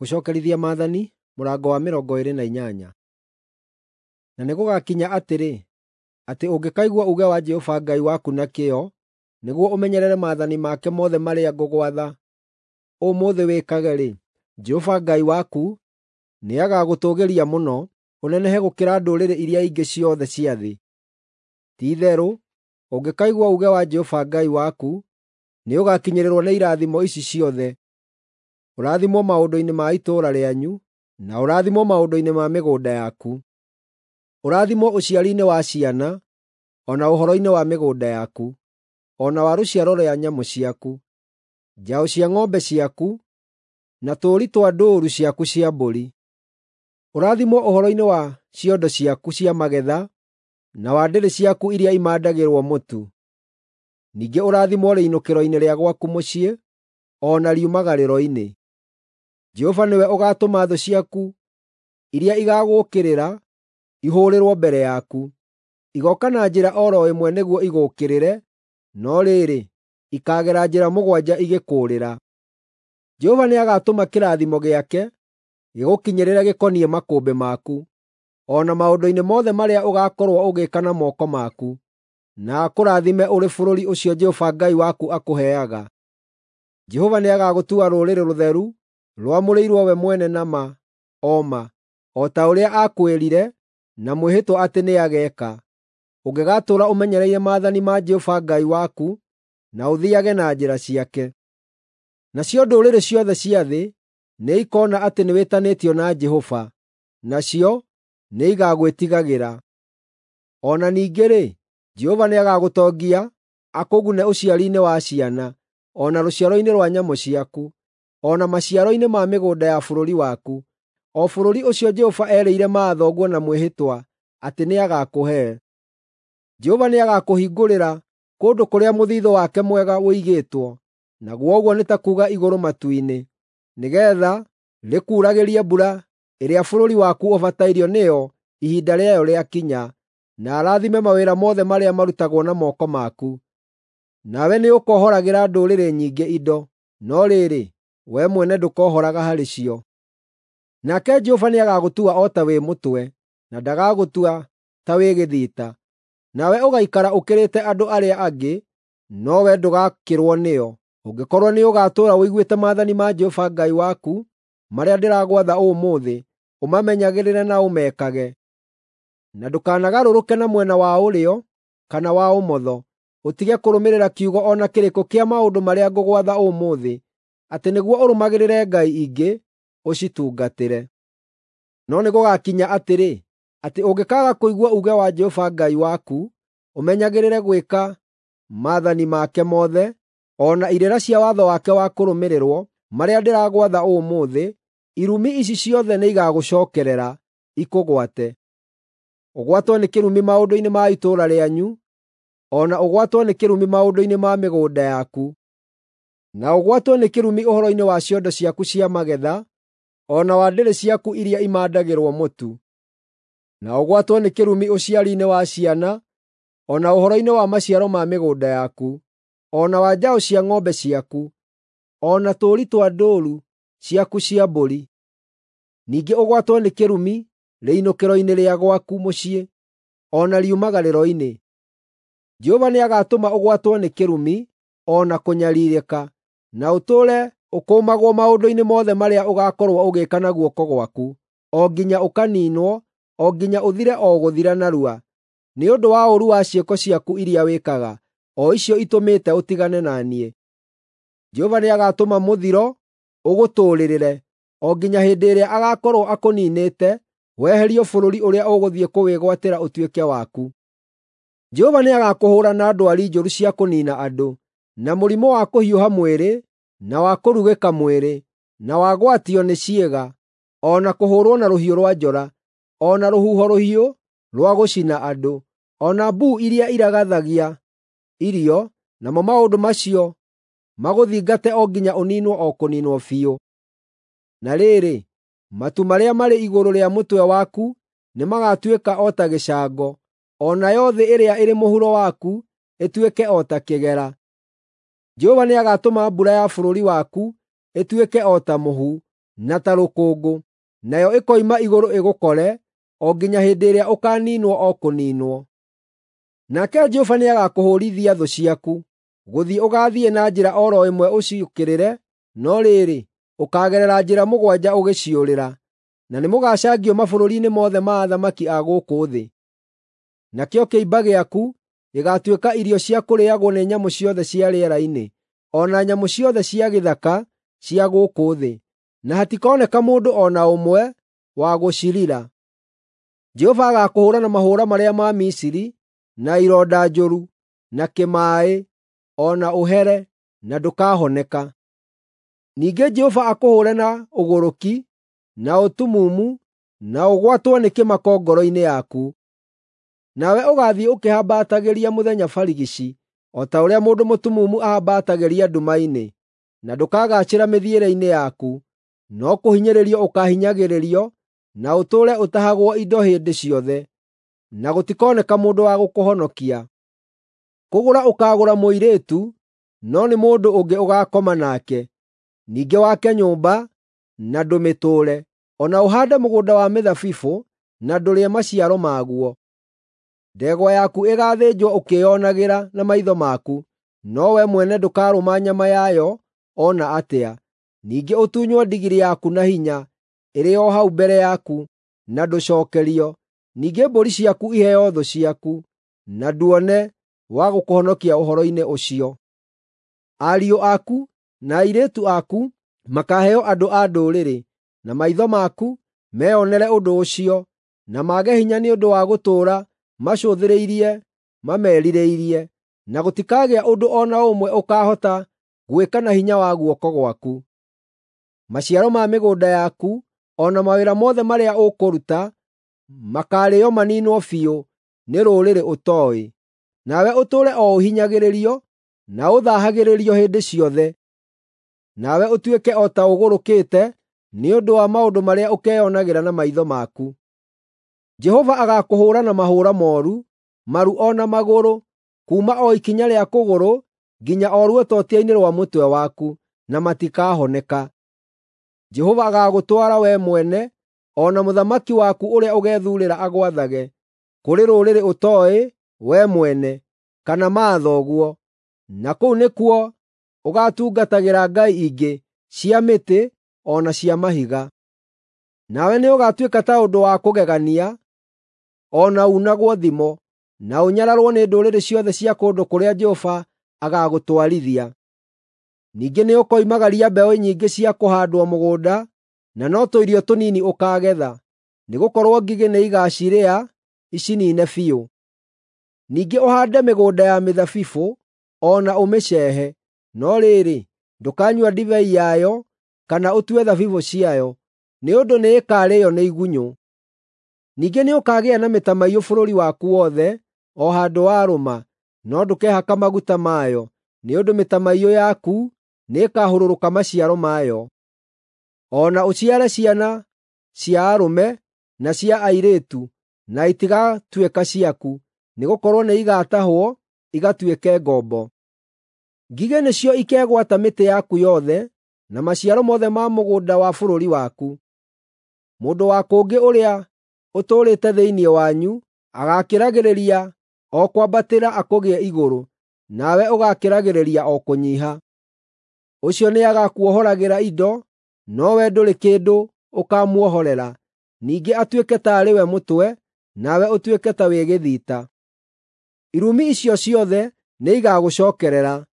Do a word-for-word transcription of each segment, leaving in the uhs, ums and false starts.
Gũcookerithia Maathani mũrango wa mĩrongo ĩĩrĩ na inyanya. Na nĩgũgakinya atĩrĩ, atĩ ũngĩkaigua uuge wa Jehova Ngai waku na kĩyo, nĩguo ũmenyerere maathani make mothe marĩa ngũgwatha ũmũthĩ wĩkage-rĩ, Jehova Ngai waku nĩagagũtũũgĩria mũno, ũnenehe gũkĩra ndũrĩrĩ iria ingĩ ciothe cia thĩ. Ti-itherũ, ũngĩkaigua uuge wa Jehova Ngai waku, nĩũgakinyĩrĩrwo nĩ irathimo ici ciothe: Ũrathimwo maũndũ-inĩ ma itũũra rĩanyu, na ũrathimwo maũndũ-inĩ ma mĩgũnda yaku. Ũrathimwo ũciari-inĩ wa ciana, o na ũhoro-inĩ wa mĩgũnda yaku, o na wa rũciaro rwa nyamũ ciaku, njaũ cia ng'ombe ciaku, na tũũri twa ndũũru ciaku cia mbũri. Ũrathimwo ũhoro-inĩ wa ciondo ciaku cia magetha, na wa ndĩrĩ ciaku iria imandagĩrwo mũtu. Ningĩ ũrathimwo rĩinũkĩro-inĩ rĩa gwaku mũciĩ, o na riumagarĩro-inĩ. Jehova nĩwe ũgaatũma thũ ciaku iria igaagũũkĩrĩra ihũũrĩrwo mbere yaku. Igooka na njĩra o ro ĩmwe nĩguo igũũkĩrĩre, no rĩrĩ, ikaagera njĩra mũgwanja igĩkũũrĩra. Jehova nĩagatũma kĩrathimo gĩake gĩgũkinyĩrĩre gĩkoniĩ makũmbĩ maku, o na maũndũ-inĩ mothe marĩa ũgaakorwo ũgĩĩka na moko maku, na akũrathime ũrĩ bũrũri ũcio Jehova Ngai waku akũheaga. Jehova nĩagagũtua rũrĩrĩ rũtheru rwamũrĩirwo we mwene na ma o ma, o ta ũrĩa aakwĩrire na mwĩhĩtwa atĩ nĩageeka, ũngĩgaatũũra ũmenyereire maathani ma Jehova Ngai waku na ũthiiage na njĩra ciake. Nacio ndũrĩrĩ ciothe cia thĩ nĩikoona atĩ nĩwĩtanĩtio na Jehova, nacio nĩigagwĩtigagĩra. O na ningĩ-rĩ, Jehova nĩagagũtongia akũgune ũciari-inĩ wa ciana, o na rũciaro-inĩ rwa nyamũ ciaku, o na maciaro-inĩ ma mĩgũnda ya bũrũri waku, o bũrũri ũcio Jehova erĩire maathoguo na mwĩhĩtwa atĩ nĩagakũhe. Jehova nĩagakũhingũrĩra kũndũ kũrĩa mũthiithũ wake mwega ũigĩtwo, naguo ũguo nĩ ta kuuga igũrũ matu-inĩ, nĩgeetha rĩkuuragĩrie mbura ĩrĩa bũrũri waku ũbatairio nĩyo ihinda rĩayo rĩakinya, na arathime mawĩra mothe marĩa marutagwo na moko maku. Nawe nĩũkohoragĩra ndũrĩrĩ nyingĩ indo, no rĩrĩ, wee mwene ndũkohoraga harĩ cio. Nake Jehova nĩagagũtua o ta wĩ mũtwe, na ndagagũtua ta wĩ gĩthita. Nawe ũgaikara ũkĩrĩte andũ arĩa angĩ, no wee ndũgakĩrwo nĩo, ũngĩkorwo nĩũgatũũra ũiguĩte maathani ma Jehova Ngai waku marĩa ndĩragwatha ũmũthĩ, ũmamenyagĩrĩre na ũmekage. Na ndũkanagarũrũke na mwena wa ũrĩo kana wa ũmotho, ũtige kũrũmĩrĩra kiugo o na kĩrĩkũ kĩa maũndũ marĩa ngũgwatha ũmũthĩ, atĩ nĩguo ũrũmagĩrĩre ngai ingĩ ũcitungatĩre. No nĩgũgakinya atĩrĩ, atĩ ũngĩkaaga kũigua uuge wa Jehova Ngai waku, ũmenyagĩrĩre gwĩka maathani make mothe, o na irĩra cia watho wake wa kũrũmĩrĩrwo, marĩa ndĩragwatha ũmũthĩ, irumi ici ciothe nĩigagũcookerera, ikũgwate. Ũgwatwo nĩ kĩrumi maũndũ-inĩ ma itũũra rĩanyu, o na ũgwatwo nĩ kĩrumi maũndũ-inĩ ma mĩgũnda yaku, na ũgwatwo nĩ kĩrumi ũhoro-inĩ wa ciondo ciaku cia magetha, o na wa ndĩrĩ ciaku iria imandagĩrwo mũtu, na ũgwatwo nĩ kĩrumi ũciari-inĩ wa ciana, o na ũhoro-inĩ wa maciaro ma mĩgũnda yaku, o na wa njaũ cia ng'ombe ciaku, o na tũũri twa ndũũru ciaku cia mbũri. Ningĩ ũgwatwo nĩ kĩrumi rĩinũkĩro-inĩ rĩa gwaku mũciĩ, o na riumagarĩro-inĩ. Jehova nĩagatũma ũgwatwo nĩ kĩrumi o na kũnyariirĩka, na ũtũũre ũkũũmagwo maũndũ-inĩ mothe marĩa ũgaakorwo ũgĩĩka na guoko gwaku, o nginya ũkaniinwo, o nginya ũthire o gũthira narua, nĩ ũndũ wa ũũru wa ciĩko ciaku iria wĩkaga, o icio itũmĩte ũtigane na niĩ. Jehova nĩagatũma mũthiro ũgũtũũrĩrĩre, o nginya hĩndĩ ĩrĩa agaakorwo akũniinĩte, weherio bũrũri ũrĩa ũgũthiĩ kũwĩgwatĩra ũtuĩke waku. Jehova nĩagakũhũũra na ndwari njũru cia kũniina andũ, na mũrimũ wa kũhiũha mwĩrĩ, na wa kũrugĩka mwĩrĩ, na wa gwatio nĩ ciĩga, o na kũhũũrwo na rũhiũ rwa njora, o na rũhuho rũhiũ rwa gũcina andũ, o na mbuu iria iragathagia irio, namo maũndũ macio magũthingate o nginya ũniinwo o kũniinwo biũ. Na rĩrĩ, matu marĩa marĩ igũrũ rĩa mũtwe waku nĩmagatuĩka o ta gĩcango, o nayo thĩ ĩrĩa ĩrĩ mũhuro waku ĩtuĩke o ta kĩgera. Jehova nĩagatũma mbura ya bũrũri waku ĩtuĩke o ta mũhu, na ta rũkũngũ, nayo ĩkoima igũrũ ĩgũkore, o nginya hĩndĩ ĩrĩa ũkaaniinwo o kũniinwo. Nake Jehova nĩagakũhũũrithia thũ ciaku. Gũthiĩ ũgaathiĩ na njĩra o ro ĩmwe ũciũkĩrĩre, no rĩrĩ, ũkaagerera njĩra mũgwanja ũgĩciũrĩra, na nĩmũgacangio mabũrũri-inĩ mothe ma athamaki a gũkũ thĩ. Nakĩo kĩimba gĩaku gĩgaatuĩka irio cia kũrĩĩagwo nĩ nyamũ ciothe cia rĩera-inĩ, o na nyamũ ciothe cia gĩthaka cia gũkũ thĩ, na hatikoneka mũndũ o na ũmwe wa gũcirira. Jehova agaakũhũũra na mahũũra marĩa ma Misiri, na ironda njũru, na kĩmaaĩ, o na ũhere, na ndũkahoneka. Ningĩ Jehova akũhũũre na ũgũrũki, na ũtumumu, na ũgwatwo nĩ kĩmako ngoro-inĩ yaku. Nawe ũgaathiĩ ũkĩhambatagĩria mũthenya barigici, o ta ũrĩa mũndũ mũtumumu ahambatagĩria nduma-inĩ, na ndũkagaacĩra mĩthiĩre-inĩ yaku, no kũhinyĩrĩrio ũkaahinyagĩrĩrio, na ũtũũre ũtahagwo indo hĩndĩ ciothe, na gũtikoneka mũndũ wa gũkũhonokia. Kũgũra ũkaagũra mũirĩtu, no nĩ mũndũ ũngĩ ũgaakoma nake. Ningĩ wake nyũmba, na ndũmĩtũũre, o na ũhaande mũgũnda wa mĩthabibũ, na ndũrĩe maciaro maguo. Ndegwa yaku ĩgaathĩnjwo ũkĩĩonagĩra na maitho maku, no wee mwene ndũkarũma nyama yayo o na atĩa. Ningĩ ũtunywo ndigiri yaku na hinya, ĩrĩ o hau mbere yaku, na ndũcookerio. Ningĩ mbũri ciaku iheo thũ ciaku, na nduone wa gũkũhonokia ũhoro-inĩ ũcio. Ariũ aku na airĩtu aku makaaheo andũ a ndũrĩrĩ, na maitho maku meyonere ũndũ ũcio, na mage hinya nĩ ũndũ wa gũtũũra macũthĩrĩirie mamerirĩirie, na gũtikagĩa ũndũ o na ũmwe ũkaahota gwĩka na hinya wa guoko gwaku. Maciaro ma mĩgũnda yaku o na mawĩra mothe marĩa ũkũruta makaarĩĩo maniinwo biũ nĩ rũrĩrĩ ũtooĩ. Nawe ũtũũre o ũhinyagĩrĩrio na ũthaahagĩrĩrio hĩndĩ ciothe. Nawe ũtuĩke o ta ũgũrũkĩte nĩ ũndũ wa maũndũ marĩa ũkeyonagĩra na maitho maku. Jehova agaakũhũũra na mahũũra mooru, maru o na magũrũ, kuuma o ikinya rĩa kũgũrũ nginya o ruototia-inĩ rwa mũtwe waku, na matikahoneka. Jehova agaagũtwara wee mwene o na mũthamaki waku ũrĩa ũgethuurĩra agwathage, kũrĩ rũrĩrĩ ũtooĩ wee mwene, kana maathoguo, na kũu nĩkuo ũgaatungatagĩra ngai ingĩ cia mĩtĩ o na cia mahiga. Nawe nĩũgatuĩka ta ũndũ wa kũgegania, o na uunagwo thimo, na ũnyararwo nĩ ndũrĩrĩ ciothe cia kũndũ kũrĩa Jehova agaagũtwarithia. Ningĩ nĩũkoimagaria mbeũ nyingĩ cia kũhaandwo mũgũnda, na no tũirio tũnini ũkaagetha, nĩgũkorwo ngigĩ nĩigacirĩa iciniine biũ. Ningĩ ũhaande mĩgũnda ya mĩthabibũ o na ũmĩceehe, no rĩrĩ, ndũkanyua ndibei yayo kana ũtue thabibũ ciayo, nĩ ũndũ nĩĩkarĩĩo nĩ igunyũ. Ningĩ nĩũkagĩa na mĩtamaiyũ bũrũri waku wothe o handũ warũma, no ndũkehaka maguta mayo, nĩ ũndũ mĩtamaiyũ yaku nĩĩkahũrũrũka maciaro mayo. O na ũciare ciana cia arũme na cia airĩtu, na itigatuĩka ciaku, nĩgũkorwo nĩigatahwo igatuĩke ngombo. Ngigĩ nĩcio ikegwata mĩtĩ yaku yothe, na maciaro mothe ma mũgũnda wa bũrũri waku. Mũndũ wa kũngĩ ũrĩa ũtũũrĩte thĩinĩ wanyu agaakĩragĩrĩria o kwambatĩra akũgĩe igũrũ, nawe ũgaakĩragĩrĩria o kũnyiiha. Ũcio nĩagakuohoragĩra indo, nowe ndũrĩ kĩndũ ũkaamuohorera. Ningĩ atuĩke taarĩ we mũtwe, nawe ũtuĩke ta wĩ gĩthita. Irumi icio ciothe nĩigagũcookerera,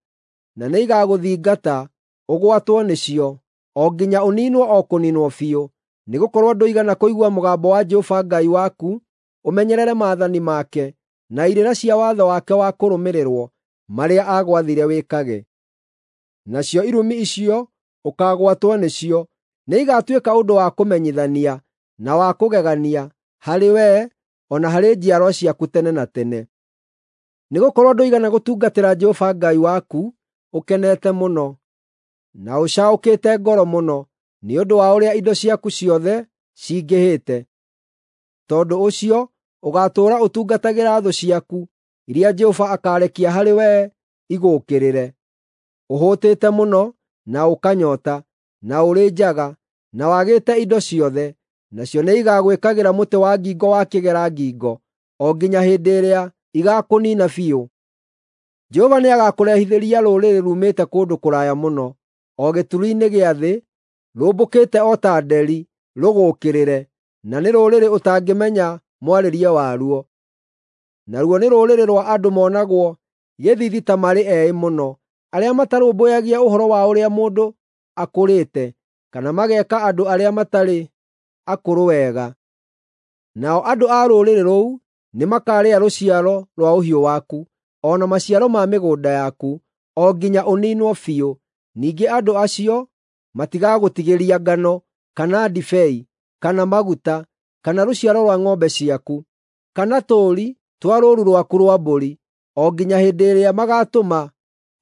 na nĩigagũthingata ũgwatwo nĩcio, o nginya ũniinwo o kũniinwo biũ, nĩgũkorwo ndũigana kũigua mũgambo wa Jehova Ngai waku ũmenyerere maathani make na irĩra cia watho wake wa kũrũmĩrĩrwo marĩa aagwathire wĩkage. Nacio irumi icio ũkaagwatwo nĩcio nĩigatuĩka ũndũ wa kũmenyithania na wa kũgegania harĩ wee o na harĩ njiarwa ciaku tene na tene. Nĩgũkorwo ndũigana gũtungatĩra Jehova Ngai waku ũkenete mũno, na ũcaũkĩte ngoro mũno nĩ ũndũ wa ũrĩa indo ciaku ciothe cingĩhĩte. Tondũ ũcio ũgaatũũra ũtungatagĩra thũ ciaku iria Jehova akaarekia harĩ wee igũũkĩrĩre. Ũhũtĩte mũno na ũkanyoota, na ũrĩ njaga, na wagĩte indo ciothe, nacio nĩigagwĩkagĩra mũtĩ wa ngingo wa kĩgera ngingo, o nginya hĩndĩ ĩrĩa igaakũniina biũ. Jehova nĩagakũrehithĩria rũrĩrĩ ruumĩte kũndũ kũraya mũno, o gĩturi-inĩ gĩa thĩ, rũmbũkĩte o ta nderi rũgũũkĩrĩre, na nĩ rũrĩrĩ ũtangĩmenya mwarĩrie waruo. Naruo nĩ rũrĩrĩ rwa andũ monagwo gĩthiithi ta marĩ eĩ mũno, arĩa matarũmbũyagia ũhoro wa ũrĩa mũndũ akũrĩte, kana mageeka andũ arĩa matarĩ akũrũ wega. Nao andũ a rũrĩrĩ rũu nĩmakarĩa rũciaro rwa ũhiũ waku, o na maciaro ma mĩgũnda yaku, o nginya ũniinwo biũ. Ningĩ andũ acio matigagũtigĩria ngano, kana ndibei, kana maguta, kana rũciaro rwa ng'ombe ciaku, kana tũũri twa rũũru rwaku rwa mbũri, o nginya hĩndĩ ĩrĩa magaatũma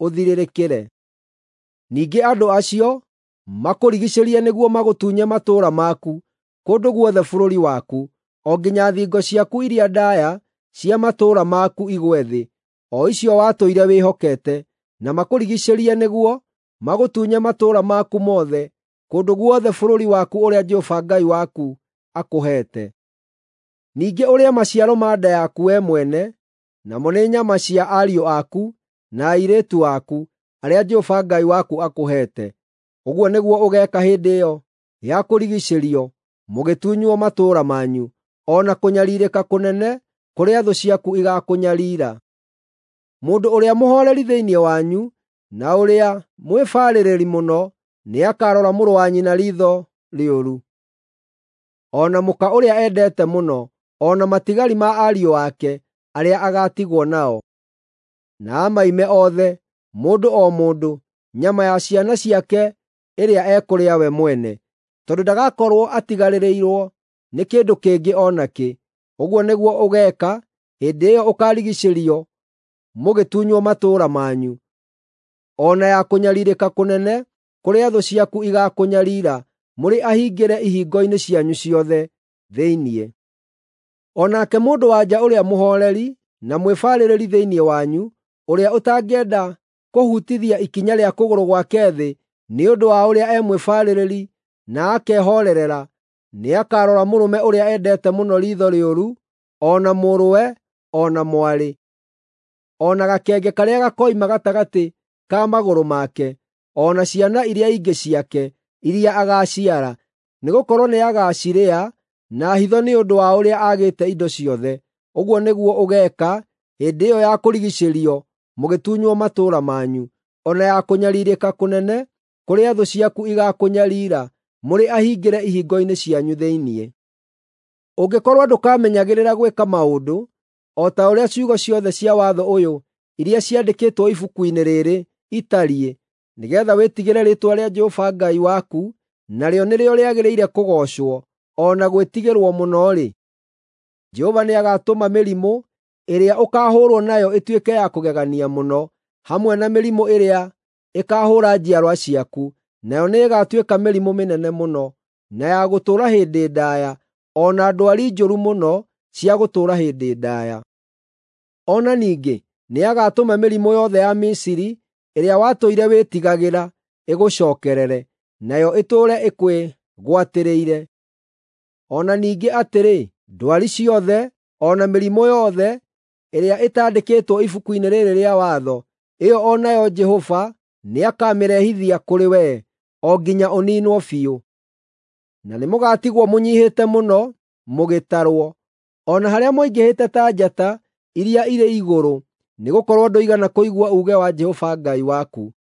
ũthirĩrĩkĩre. Ningĩ andũ acio makũrigiicĩrie nĩguo magũtunye matũũra maku kũndũ guothe bũrũri waku, o nginya thingo ciaku iria ndaaya cia matũũra maku igwe thĩ, o icio watũire wĩhokete, na makũrigiicĩrie nĩguo magũtunye matũũra maku mothe kũndũ guothe bũrũri waku ũrĩa Jehova Ngai waku akũheete. Ningĩ ũrĩe maciaro ma nda yaku wee mwene, namo nĩ nyama cia ariũ aku na airĩtu aku, arĩa Jehova Ngai waku akũheete. Ũguo nĩguo ũgeeka hĩndĩ ĩyo ya kũrigiicĩrio mũgĩtunywo matũũra manyu, o na kũnyariirĩka kũnene kũrĩa thũ ciaku igaakũnyariira. Mũndũ ũrĩa mũhooreri thĩinĩ wanyu na ũrĩa mwĩbarĩrĩri mũno nĩakarora mũrũ wa nyina riitho rĩũru, o na mũka ũrĩa endete mũno, o na matigari ma ariũ ake arĩa agaatigwo nao, na amaime othe, mũndũ o mũndũ, nyama ya ciana ciake ĩrĩa ekũrĩa we mwene, tondũ ndagakorwo atigarĩrĩirwo nĩ kĩndũ kĩngĩ o nakĩ. Ũguo nĩguo ũgeeka hĩndĩ ĩyo ũkaarigiicĩrio mũgĩtunywo matũũra manyu, o na ya kũnyariirĩka kũnene kũrĩa thũ ciaku igaakũnyariira mũrĩ ahingĩre ihingo-inĩ cianyu ciothe thĩinĩ. O nake mũndũ-wa-nja ũrĩa mũhooreri na mwĩbarĩrĩri thĩinĩ wanyu, ũrĩa ũtangĩenda kũhutithia ikinya rĩa kũgũrũ gwake thĩ nĩ ũndũ wa ũrĩa e mwĩbarĩrĩri na akehoorerera, nĩakarora mũrũme ũrĩa endete mũno riitho rĩũru, o na mũrũwe, o na mwarĩ, o na gakenge karĩa gakoima gatagatĩ ka magũrũ make, o na ciana iria ingĩ ciake iria agaaciara, nĩgũkorwo nĩagacirĩa na hitho nĩ ũndũ wa ũrĩa aagĩte indo ciothe. Ũguo nĩguo ũgeeka hĩndĩ ĩyo ya kũrigiicĩrio mũgĩtunywo matũũra manyu, o na ya kũnyariirĩka kũnene kũrĩa thũ ciaku igaakũnyariira mũrĩ ahingĩre ihingo-inĩ cianyu thĩinĩ. Ũngĩkorwo ndũkamenyagĩrĩra gwĩka maũndũ o ta ũrĩa ciugo ciothe cia watho ũyũ iria ciandĩkĩtwo ibuku-inĩ rĩrĩ itariĩ, nĩgeetha wĩtigĩre rĩĩtwa rĩa Jehova Ngai waku, narĩo nĩrĩo rĩagĩrĩire kũgoocwo o na gwĩtigĩrwo mũno-rĩ, Jehova nĩagatũma mĩrimũ ĩrĩa ũkaahũũrwo nayo ĩtuĩke ya kũgegania mũno, hamwe na mĩrimũ ĩrĩa ĩkaahũũra njiarwa ciaku, nayo nĩĩgatuĩka mĩrimũ mĩnene mũno, na ya gũtũũra hĩndĩ ndaaya, o na ndwari njũru mũno cia gũtũũra hĩndĩ ndaaya. O na ningĩ nĩagatũma mĩrimũ yothe ya Misiri ĩrĩa watũire wĩtigagĩra ĩgũcookerere, nayo ĩtũũre ĩkwĩgwatĩrĩire. O na ningĩ atĩrĩ, ndwari ciothe o na mĩrimũ yothe ĩrĩa ĩtaandĩkĩtwo ibuku-inĩ rĩrĩ rĩa watho, ĩyo o nayo Jehova nĩakamĩrehithia kũrĩ wee, o nginya ũniinwo biũ. Na nĩmũgatigwo mũnyiihĩte mũno mũgĩtarwo, o na harĩa mũingĩhĩte ta njata iria irĩ igũrũ, nĩgũkorwo ndũigana kũigua uuge wa Jehova Ngai waku.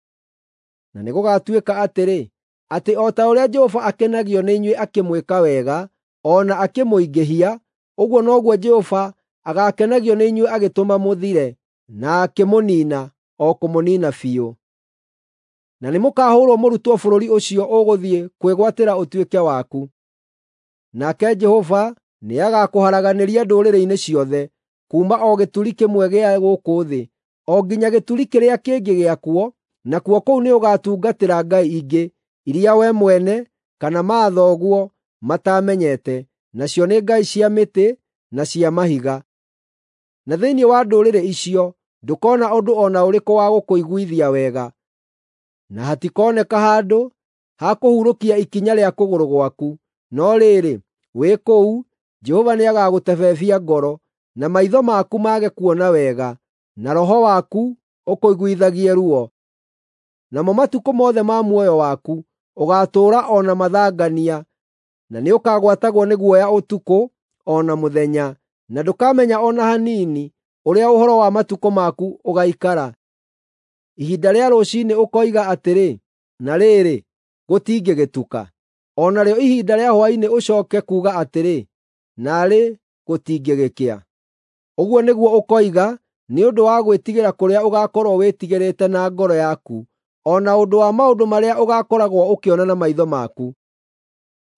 Na nĩgũgatuĩka atĩrĩ, atĩ o ta ũrĩa Jehova akenagio nĩ inyuĩ akĩmwĩka wega, o na akĩmũingĩhia, ũguo noguo Jehova agaakenagio nĩ inyuĩ agĩtũma mũthire, na akĩmũniina, o kũmũniina biũ. Na nĩmũkahũũrwo mũrutwo bũrũri ũcio ũgũthiĩ kwĩgwatĩra ũtuĩke waku. Nake Jehova nĩagakũharaganĩria ndũrĩrĩ-inĩ ciothe, kuuma o gĩturi kĩmwe gĩa gũkũ thĩ, o nginya gĩturi kĩrĩa kĩngĩ gĩakuo, nakuo kũu nĩũgatungatĩra ngai ingĩ, iria we mwene kana mathoguo mataamenyete, nacio nĩ ngai cia mĩtĩ na cia mahiga. Na thĩinĩ wa ndũrĩrĩ icio ndũkona ũndũ o na ũrĩkũ wa gũkũiguithia wega, na hatikoneka handũ ha kũhurũkia ikinya rĩa kũgũrũ gwaku. No rĩrĩ, wĩ kũu, Jehova nĩagagũtebebia ngoro, na maitho maku mage kuona wega, na roho waku ũkũiguithagie ruo. Namo matukũ mothe ma muoyo waku ũgaatũũra o na mathangania, na nĩũkagwatagwo nĩ guoya ũtukũ o na mũthenya, na ndũkamenya o na hanini ũrĩa ũhoro wa matukũ maku ũgaikara. Ihinda rĩa rũciinĩ ũkoiga atĩrĩ, “Na rĩrĩ, gũtingĩgĩtuka.” O narĩo ihinda rĩa hwaĩ-inĩ ũcooke kuuga atĩrĩ, “Naarĩ gũtingĩgĩkĩa.” Ũguo nĩguo ũkoiga nĩ ũndũ wa gwĩtigĩra kũrĩa ũgaakorwo wĩtigĩrĩte na ngoro yaku, o na ũndũ wa maũndũ marĩa ũgaakoragwo ũkĩona na maitho maku.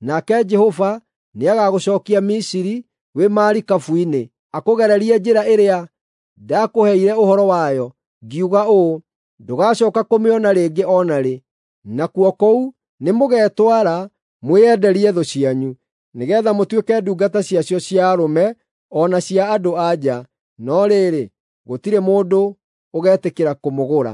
Nake Jehova nĩagagũcookia Misiri wĩ marikabu-inĩ, akũgererie njĩra ĩrĩa ndakũheire ũhoro wayo, ngiuga ũũ, “Ndũgacooka kũmĩona rĩngĩ o na rĩ.” Nakuo kũu nĩmũgetwara mwĩenderie thũ cianyu, nĩgeetha mũtuĩke ndungata ciacio cia arũme o na cia andũ-a-nja, no rĩrĩ, gũtirĩ mũndũ ũgetĩkĩra kũmũgũra.